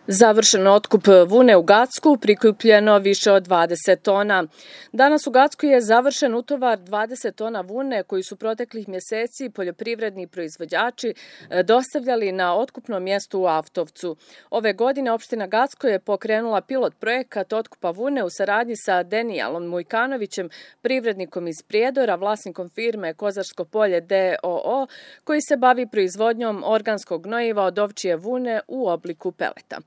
Završen otkup vune u Gacku, prikupljeno više od 20 tona. Danas u Gacku je završen utovar 20 tona vune koji su proteklih mjeseci poljoprivredni proizvođači dostavljali na otkupnom mjestu u Avtovcu. Ove godine opština Gacko je pokrenula pilot projekat otkupa vune u saradnji sa Denijalom Mujkanovićem, privrednikom iz Prijedora, vlasnikom firme Kozarsko polje d.o.o. koji se bavi proizvodnjom organskog gnojiva od ovčje vune u obliku peleta.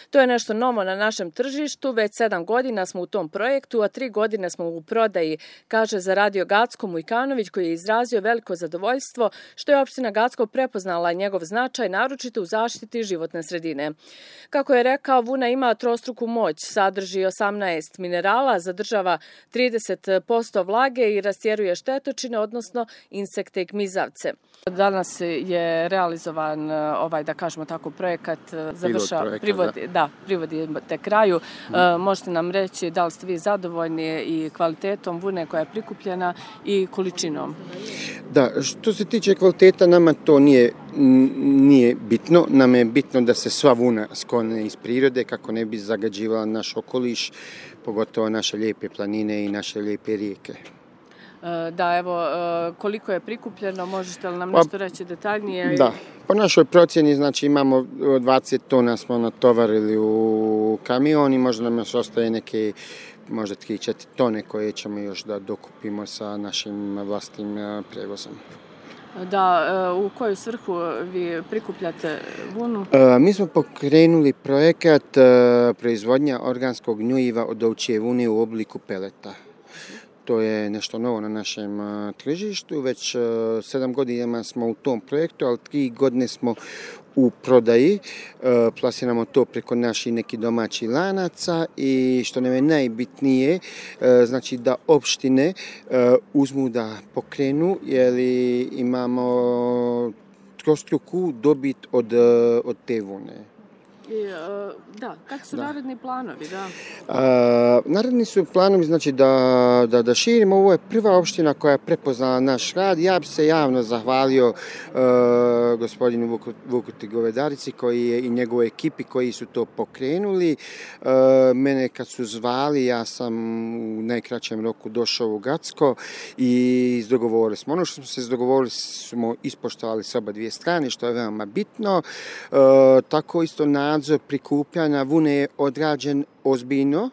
To je nešto novo na našem tržištu, već 7 godina smo u tom projektu, a 3 godine smo u prodaji, kaže za Radio Gacko Mujkanović, koji je izrazio veliko zadovoljstvo što je opština Gacko prepoznala njegov značaj, naročito u zaštiti životne sredine. Kako je rekao, vuna ima trostruku moć, sadrži 18 minerala, zadržava 30% vlage i rastjeruje štetočine, odnosno insekte i gmizavce. Danas je realizovan da kažemo tako, projekat privodite kraju. Možete nam reći da li ste vi zadovoljni i kvalitetom vune koja je prikupljena i količinom? Da, što se tiče kvaliteta, nama to nije bitno. Nam je bitno da se sva vuna sklone iz prirode kako ne bi zagađivala naš okoliš, pogotovo naše lijepe planine i naše lijepe rijeke. Da, evo, koliko je prikupljeno, možete li nam nešto reći detaljnije? Da, po našoj procjeni, znači imamo 20 tona smo natovarili u kamion i možda nam još ostaje neke, možda 3-4 tone koje ćemo još da dokupimo sa našim vlastnim prijevozom. Da, u koju svrhu vi prikupljate vunu? Mi smo pokrenuli projekat proizvodnja organskog gnjojiva od ovčje vune u obliku peleta. To je nešto novo na našem tržištu, već 7 godina smo u tom projektu, ali 3 godine smo u prodaji, plasiramo to preko naših nekih domaćih lanaca i što nam je najbitnije, znači da opštine uzmu da pokrenu, jer imamo trostruku dobit od te vune. Kakvi su naredni planovi? Naredni su planovi, znači da širimo. Ovo je prva opština koja je prepoznala naš rad. Ja bi se javno zahvalio gospodinu Vukuti Govedarici i njegovoj ekipi koji su to pokrenuli. Mene kad su zvali, ja sam u najkraćem roku došao u Gacko i izdogovorili smo. Ono što smo se izdogovorili smo ispoštovali s oba dvije strane, što je veoma bitno. Tako isto nadzor prikupljanja vune je odrađen ozbiljno.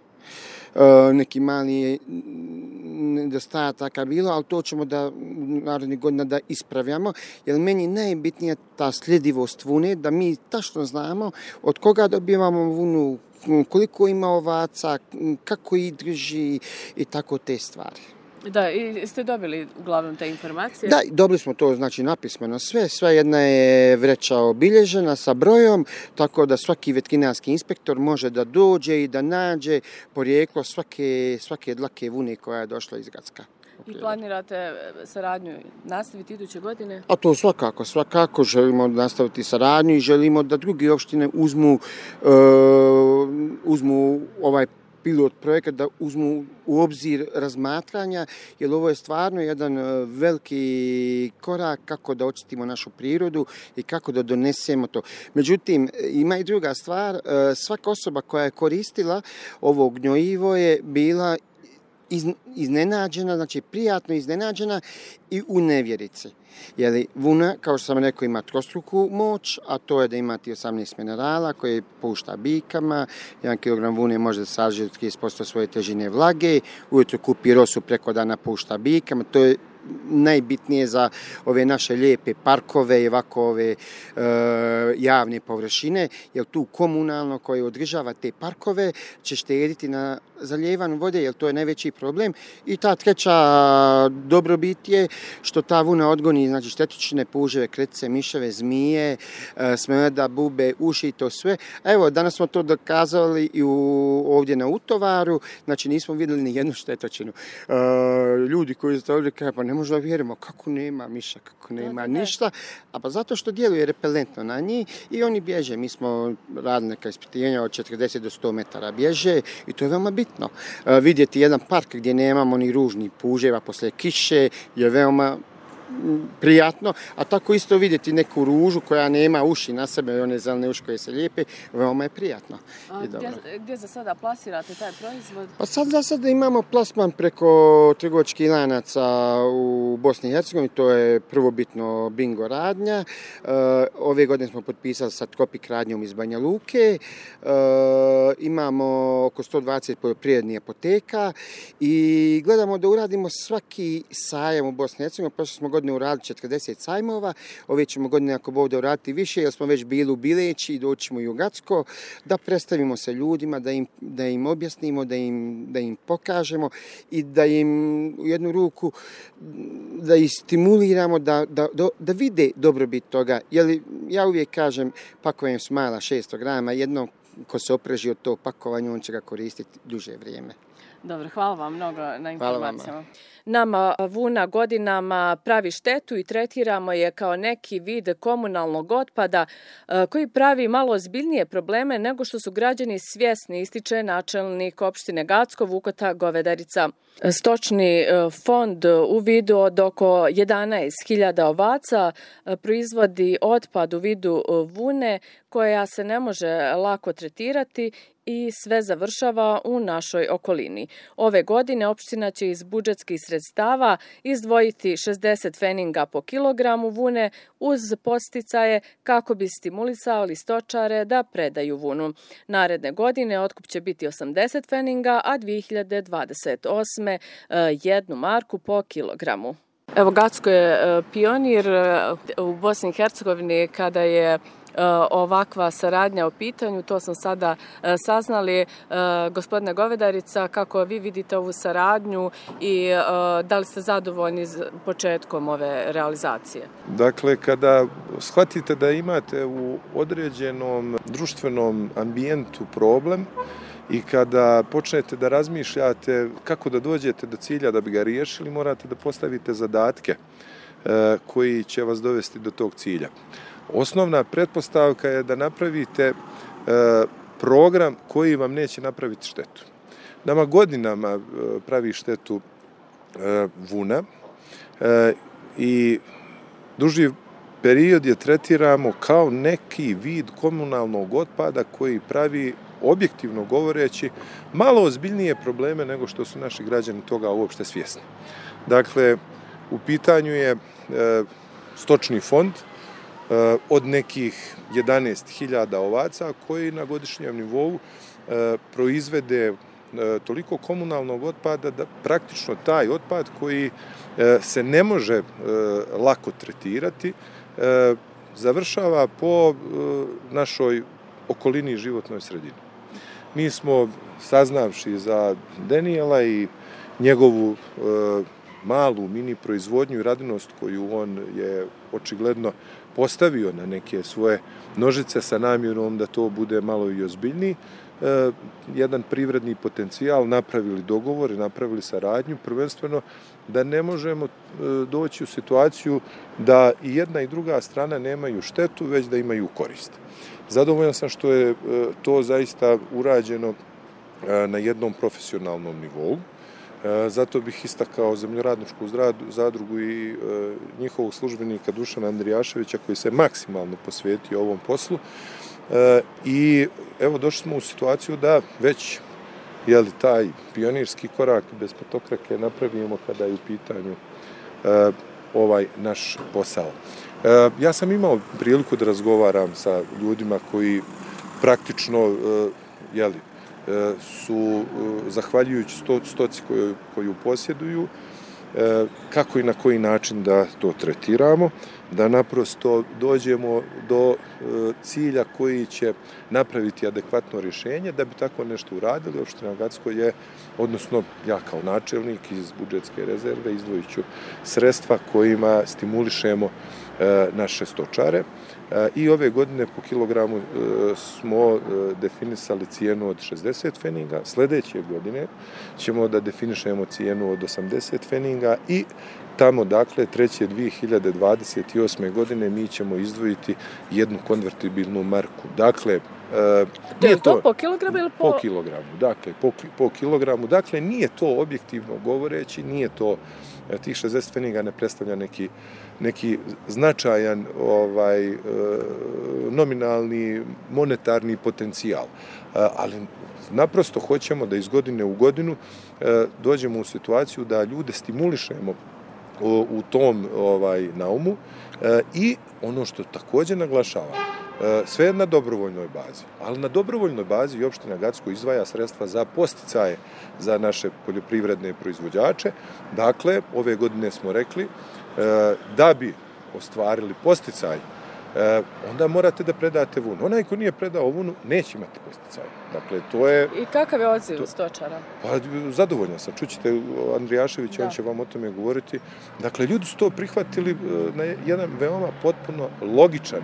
Neki mali nedostataka bilo, ali to ćemo narednih godina da ispravljamo, jer meni najbitnija ta sljedivost vune, da mi tačno znamo od koga dobivamo vunu, koliko ima ovaca, kako ih drži i tako te stvari. Da, i ste dobili uglavnom te informacije? Da, dobili smo to, znači napismeno sve jedna je vreća obilježena sa brojom, tako da svaki veterinarski inspektor može da dođe i da nađe porijeklo svake dlake vune koja je došla iz Gacka. I planirate saradnju nastaviti iduće godine? A to svakako želimo nastaviti saradnju i želimo da druge opštine uzmu ovaj pilot projekat, da uzmu u obzir razmatranja, jer ovo je stvarno jedan veliki korak kako da očistimo našu prirodu i kako da donesemo to. Međutim, ima i druga stvar, svaka osoba koja je koristila ovo gnjojivo je bila iznenađena, znači prijatno iznenađena i u nevjerici. Jer vuna, kao što sam rekao, ima trostruku moć, a to je da imate 18 minerala koje pušta bikama. 1 kg vune može da sadrži 30% svoje težine vlage, ujutro kupi rosu, preko dana pušta bikama. To je najbitnije za ove naše lijepe parkove i ovako ove javne površine, jer tu komunalno koje održava te parkove će štediti na zaljevanju vode, jer to je najveći problem. I ta treća dobrobit je što ta vuna odgoni, znači štetočine, puževe, kretice, miševe, zmije, smrada, bube, uši i to sve. Evo, danas smo to dokazali i ovdje na utovaru, znači nismo vidjeli ni jednu štetočinu. Ljudi koji su ovdje kažu, pa ne možemo da vjerujemo kako nema miša, kako nema ništa, a pa zato što djeluje repelentno na njih i oni bježe. Mi smo radili neka ispitivanja od 40 do 100 metara bježe i to je veoma bitno. Vidjeti jedan park gdje nemamo ni ružnih puževa poslije kiše je veoma prijatno, a tako isto vidjeti neku ružu koja nema uši na sebe, one zelene uši koje se lijepe, veoma je prijatno. Gdje za sada plasirate taj proizvod? Pa za sada imamo plasman preko trgovačkih lanaca u Bosni i Hercegovini, to je prvobitno Bingo radnja. Ove godine smo potpisali sa Tropik radnjom iz Banja Luke. Imamo oko 120 poljoprivrednih apoteka i gledamo da uradimo svaki sajam u Bosni i Hercegovini. Prošle smo godine uradili 40 sajmova, ove ćemo godine ako Bog da uraditi više, jer smo već bili u Bileći i doći ćemo i u Gacko, da predstavimo se ljudima, da im objasnimo, da im pokažemo i da im u jednu ruku da ih stimuliramo da vide dobrobit toga. Jer ja uvijek kažem, pakovanje smajla 600 grama, jednom ko se opreži od tog pakovanja, on će ga koristiti duže vrijeme. Dobro, hvala vam mnogo na informacijama. Nama vuna godinama pravi štetu i tretiramo je kao neki vid komunalnog otpada koji pravi malo ozbiljnije probleme nego što su građani svjesni, ističe načelnik opštine Gacko Vukota Govedarica. Stočni fond u vidu od oko 11.000 ovaca proizvodi otpad u vidu vune koja se ne može lako tretirati i sve završava u našoj okolini. Ove godine opština će iz budžetskih sredstava izdvojiti 60 feninga po kilogramu vune uz podsticaje kako bi stimulisali stočare da predaju vunu. Naredne godine otkup će biti 80 feninga, a 2028. 1 marku po kilogramu. Evo, Gacko je pionir u Bosni i Hercegovini kada je ovakva saradnja u pitanju, to smo sada saznali. Gospodine Govedarica, kako vi vidite ovu saradnju i da li ste zadovoljni početkom ove realizacije? Dakle, kada shvatite da imate u određenom društvenom ambijentu problem i kada počnete da razmišljate kako da dođete do cilja da bi ga riješili, morate da postavite zadatke koji će vas dovesti do tog cilja. Osnovna pretpostavka je da napravite program koji vam neće napraviti štetu. Nama godinama pravi štetu vuna i duži period je tretiramo kao neki vid komunalnog otpada koji pravi, objektivno govoreći, malo ozbiljnije probleme nego što su naši građani toga uopšte svjesni. Dakle, u pitanju je stočni fond od nekih 11.000 ovaca koji na godišnjem nivou proizvede toliko komunalnog otpada da praktično taj otpad koji se ne može lako tretirati završava po našoj okolini i životnoj sredini. Mi smo, saznavši za Denijela i njegovu malu mini proizvodnju i radinost koju on je očigledno postavio na neke svoje nožice sa namjerom da to bude malo i ozbiljniji, jedan privredni potencijal, napravili dogovor i napravili saradnju, prvenstveno da ne možemo doći u situaciju da i jedna i druga strana nemaju štetu, već da imaju korist. Zadovoljan sam što je to zaista urađeno na jednom profesionalnom nivou. Zato bih istakao Zemljoradničku zadrugu i njihovog službenika Dušana Andrijaševića koji se maksimalno posvetio ovom poslu. I evo došli smo u situaciju da već taj pionirski korak bez petokrake napravimo kada je u pitanju ovaj naš posao. Ja sam imao priliku da razgovaram sa ljudima koji praktično su, zahvaljujući stoci koju posjeduju, kako i na koji način da to tretiramo, da naprosto dođemo do cilja koji će napraviti adekvatno rješenje. Da bi tako nešto uradili, opština Gacko je, odnosno ja kao načelnik iz budžetske rezerve izdvojit ću sredstva kojima stimulišemo naše stočare. I ove godine po kilogramu smo definisali cijenu od 60 feninga. Sljedeće godine ćemo da definišemo cijenu od 80 feninga i tamo, dakle, 3.2028. godine mi ćemo izdvojiti jednu konvertibilnu marku. Dakle, nije to po kilogramu ili po kilogramu, dakle, po kilogramu. Dakle, nije to objektivno govoreći, nije to, tih 60 pfeniga ne predstavlja neki značajan nominalni monetarni potencijal. Ali naprosto hoćemo da iz godine u godinu dođemo u situaciju da ljude stimulišemo u tom naumu i ono što također naglašavam, sve na dobrovoljnoj bazi, ali na dobrovoljnoj bazi i opština Gacko izdvaja sredstva za posticaje za naše poljoprivredne proizvođače. Dakle, ove godine smo rekli da bi ostvarili posticaj, onda morate da predate vunu. Onaj ko nije predao vunu, neće imati posticaj. Dakle, to je... I kakav je odziv stočara? Pa, zadovoljno sam. Čućete Andrijaševića, on će vam o tome govoriti. Dakle, ljudi su to prihvatili na jedan veoma potpuno logičan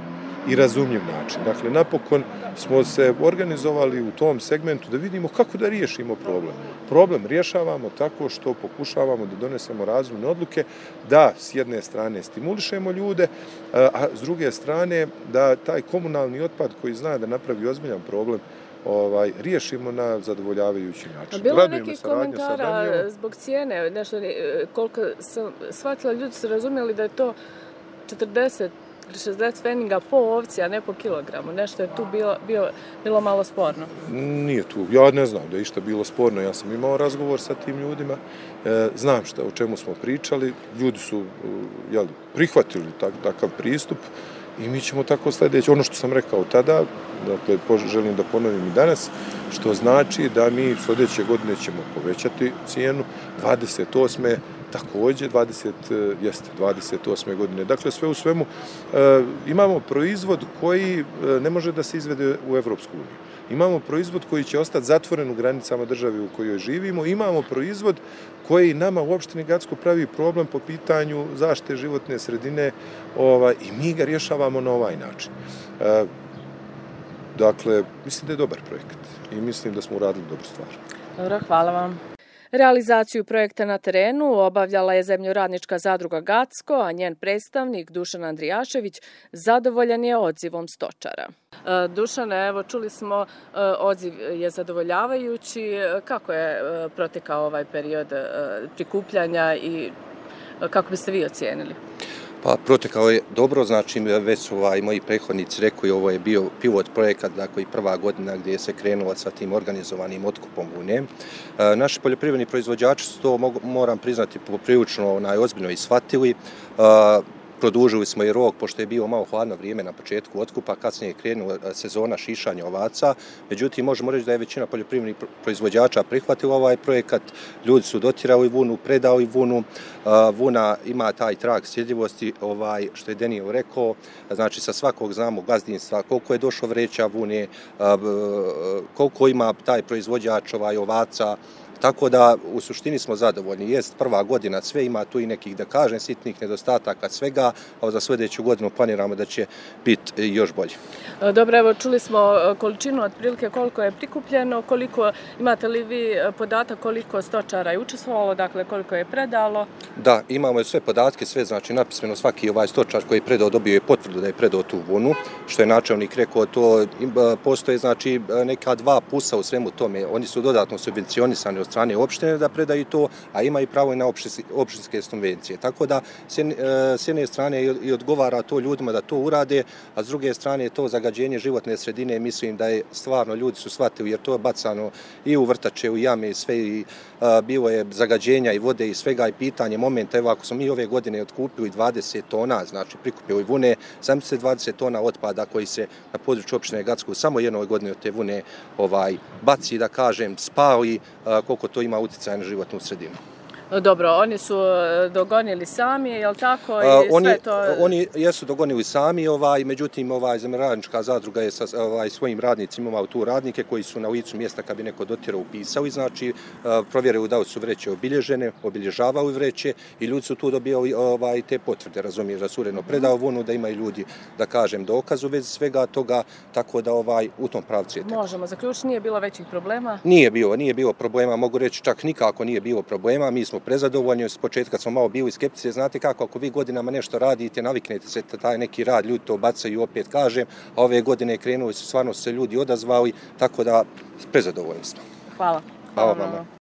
i razumljiv način. Dakle, napokon smo se organizovali u tom segmentu da vidimo kako da riješimo problem. Problem rješavamo tako što pokušavamo da donesemo razumne odluke, da s jedne strane stimulišemo ljude, a s druge strane da taj komunalni otpad koji zna da napravi ozbiljan problem riješimo na zadovoljavajući način. Bilo je nekih komentara zbog cijene, nešto, koliko sam shvatila, ljudi su razumjeli da je to 40 60 pfeniga po ovci, a ne po kilogramu. Nešto je tu bilo malo sporno. Nije tu. Ja ne znam da je išta bilo sporno. Ja sam imao razgovor sa tim ljudima. Znam o čemu smo pričali. Ljudi su prihvatili takav pristup i mi ćemo tako sljedeći. Ono što sam rekao tada, dakle, želim da ponovim i danas, što znači da mi sljedeće godine ćemo povećati cijenu 28. Također, 28. godine. Dakle, sve u svemu imamo proizvod koji ne može da se izvede u Evropsku uniju. Imamo proizvod koji će ostati zatvoren u granicama države u kojoj živimo. Imamo proizvod koji nama u opštini Gacko pravi problem po pitanju zaštite životne sredine i mi ga rješavamo na ovaj način. Dakle, mislim da je dobar projekat i mislim da smo uradili dobru stvar. Dobro, hvala vam. Realizaciju projekta na terenu obavljala je Zemljoradnička zadruga Gacko, a njen predstavnik Dušan Andrijašević zadovoljan je odzivom stočara. Dušane, evo čuli smo, odziv je zadovoljavajući. Kako je protekao ovaj period prikupljanja i kako biste vi ocijenili? Pa protekao je dobro, znači već su moji prethodnici rekli, ovo je bio pilot projekat, dakle i prva godina gdje se krenulo sa tim organizovanim otkupom vune. Naši poljoprivredni proizvođači su to, moram priznati, poprilično ozbiljno i shvatili. Produžili smo i rok, pošto je bilo malo hladno vrijeme na početku otkupa, kasnije je krenula sezona šišanja ovaca. Međutim, možemo reći da je većina poljoprivrednih proizvođača prihvatila ovaj projekat. Ljudi su dotirali vunu, predali vunu. Vuna ima taj trag sljedivosti, što je Daniel rekao. Znači, sa svakog znamo gazdinstva koliko je došlo vreća vune, koliko ima taj proizvođač ovaca. Tako da u suštini smo zadovoljni. Jest prva godina, sve ima tu i nekih, da kažem, sitnih nedostataka svega, a za sljedeću godinu planiramo da će biti još bolje. Dobro, evo čuli smo količinu otprilike koliko je prikupljeno, koliko imate li vi podatak koliko stočara je učestvovalo, dakle koliko je predalo? Da, imamo sve podatke, sve znači napismeno svaki stočar koji je predao dobio je potvrdu da je predao tu vunu, što je načelnik rekao, to postoje znači neka dva plusa u svemu tome. Oni su dodatno subvencionisani od strane opštine da predaju to, a ima i pravo i na opštinske subvencije. Tako da s jedne strane i odgovara to ljudima da to urade, a s druge strane to zagađenje životne sredine, mislim da je stvarno ljudi su shvatili, jer to je bacano i u vrtače, u jame i sve, i bilo je zagađenja i vode i svega, i pitanje momenta. Evo, ako smo mi ove godine otkupili 20 tona, znači prikupili vune, sam se 20 tona otpada koji se na području opštine Gacko samo jednoj godini od te vune baci, da kažem, spali, koliko to ima utjecaj na životnu sredinu. Dobro, oni su dogonili sami, je li tako? Oni jesu dogonili sami, međutim, Zemljoradnička zadruga je sa svojim radnicima imala tu radnike koji su na licu mjesta, kad bi neko dotirao, upisali, znači provjerili da li su vreće obilježene, obilježavali vreće i ljudi su tu dobijali te potvrde, razumiješ, da su uredno predao vunu, da imaju ljudi, da kažem, dokaz u vezi svega toga, tako da u tom pravcu je tako. Možemo zaključiti, nije bilo većih problema? Nije bilo problema, mogu reći čak nikako nije bilo problema, mi smo prezadovoljni. S početka smo malo bili skeptici, znate kako, ako vi godinama nešto radite, naviknete se taj neki rad, ljudi to bacaju, opet kažem, a ove godine krenuli su, stvarno se ljudi odazvali, tako da prezadovoljni smo. Hvala. Hvala vama.